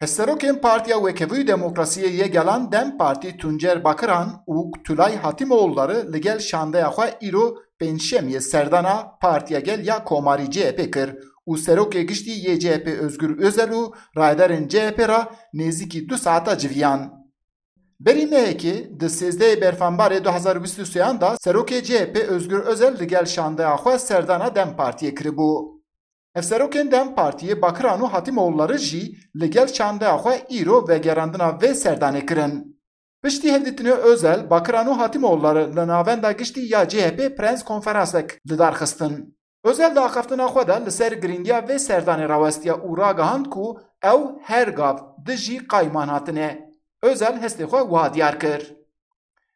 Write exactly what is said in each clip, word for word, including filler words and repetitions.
Hevserokên Partiya Wekevû û Demokrasiyê yê Gelan DEM Partî Tuncer Bakiran û Tulay Hatîmoğulları li gel şandeya xwe îro Pêncşemiyê serdana Partiya Gel ya Komarî C H P kir û Serokê Giştî yê C H P Özgür Özel û rayedarên C H P re nêzîkî du saeta civiyan. Berî mehekê di sêzdehê Berfembarê du hezar û bîst û sêyan de Serokê C H P Özgür Özel li gel şandeya xwe serdana DEM Partiyê kiribû. Hevserokên DEM Partiyê Bakiran û Hatîmoğulları jî li gel şandeya xwe îro vegerandina vê serdanê kirin. Piştî hevdîtinê Özel, Bakiran û Hatîmoğulları li Navenda Giştî ya C H P prens konferansek li dar xistin. Özel di axaftina xwe de li ser girîngiya vê serdanê rawestiya û ragihand ku ew her gav dijî qayûman hatine. Özel hestê xwe wiha diyar kir.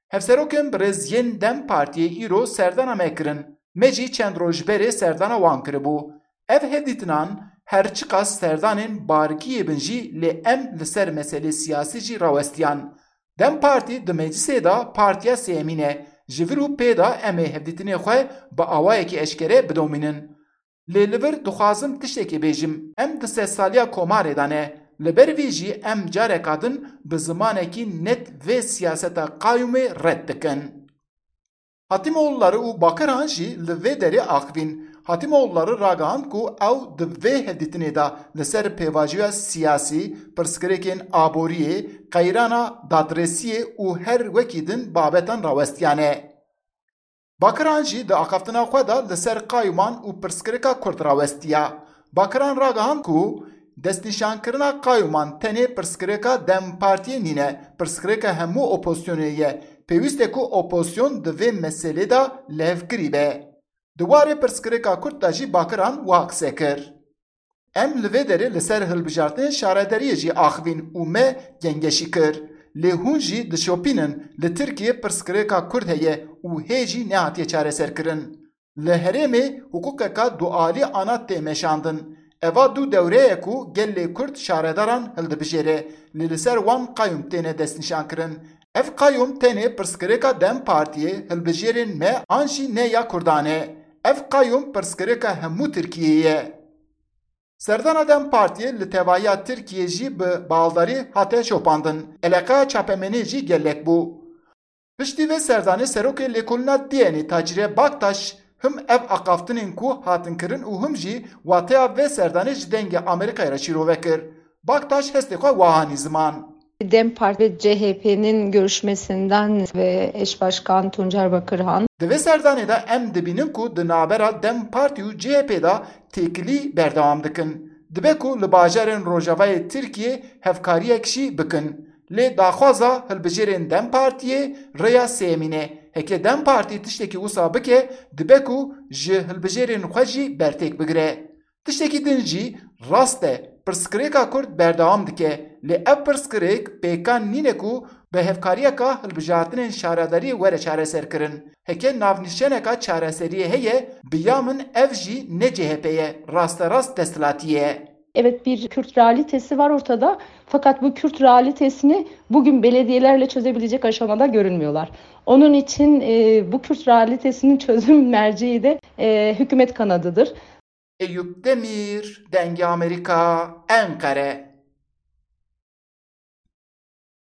Hevserokên birêz yên DEM Partiyê îro serdana me kirin. Me jî çend roj berê serdana wan kiribû. Ev hevdîtinan her çiqas serdanên barkiyê bin jî lê em li ser meselê siyasî jî rawestiyan. DEM Partî di meclisê de partiya sêyemîn e. Ji vir û pê de em ê hevdîtinê xwe bi awayekî eşkere bidomînin. Lê li vir dixwazim tiştekê bêjim. Em di sedsaliya komarê de ne. Li ber vî jî em careka din bi zimanekî net vê siyaseta qayûmê red dikin. Hatîmoğulları û Bakiran jî li vê derê axivîn. Hatîmoğulları ragihand ku ew di vê hevdîtinê de li ser pêvajoya siyasî, pirsgirêkên aboriyê, qeyrana dadresiyê û her wekî din babetan rawestiyane. Bakiran jî di axaftina xwe de li ser qayûman û pirsgirêka Kurd rawestiya. Bakiran ragihand ku destnîşankirina qayûman tenê pirsgirêka DEM Partiyê nîne, pirsgirêka hemû opozisyonê ye. Pêwîst e ku opozisyon di vê meselê de lihevkirî be. Di warê pirsgirêka Kurd de jî Bakiran wiha qise kir. Em li vê derê li ser hilbijartinên şaredariyê jî axivîn û me gengeşî kir. Lê hûn jî dişopînin, li Tirkiyê pirsgirêka Kurd heye û hê jî nehatiye çareserkirin. Li herêmê hiqûqeka dualî ana tê meşandin. Eva du dewre ye ku gelê Kurd şaredaran hildibijêre, lê li ser wan qayûm têne destnîşankirin. Ev qayûm tenê pirsgirêka DEM Partiyê, hilbijêrên me an jî ne ya Kurdan e. Ev qayûm pirsgirêka hemû Tirkiyeyê ye. Serdana DEM Partiyê li tevahiya Tirkiyê jî bi baldarî hate şopandin. Eleqeya çapemeniyê jî gelek bû. Piştî vê serdanê serokê lêkolîna D N Ê Tacîre Baktaş him ev axaftinên ku hatin kirin û him jî wateya vê serdanê ji Dengê Amerîkayê re şîrove kir. Baktaş hestê xwe wiha anî ziman. DEM Parti ve C H P'nin görüşmesinden ve eş başkan Tuncer Bakırhan. Di vê serdanê de em dibînin ku di navbera DEM Partî û C H P de têkilî berdewam dikin. Dibe ku li bajarên rojavayê Tirkiyê hevkariyek jî bikin. Lê daxwaza hilbijêrên DEM Partiyê rêya sêyemîn e. Heke DEM Partî tiştekî wisa bike, dibe ku ji hilbijêrên xwe jî bertêk bigire. Tiştekî din jî rast e, pirsgirêka Kurd berdewam dike, lê ev pirsgirêk pêkan nîne ku bi hevkariyeka hilbijartinên şaredariyê were çareserkirin. Heke navnîşaneka çareseriyê heye, bi ya min ev jî ne C H P ye, rasterast desthilatî ye. Evet, bir Kürt realitesi var ortada. Fakat bu Kürt realitesini bugün belediyelerle çözebilecek aşamada görünmüyorlar. Onun için e, bu Kürt realitesinin çözüm merceği de e, hükümet kanadıdır. Eyûp Demîr, Dengê Amerîka, Enqere.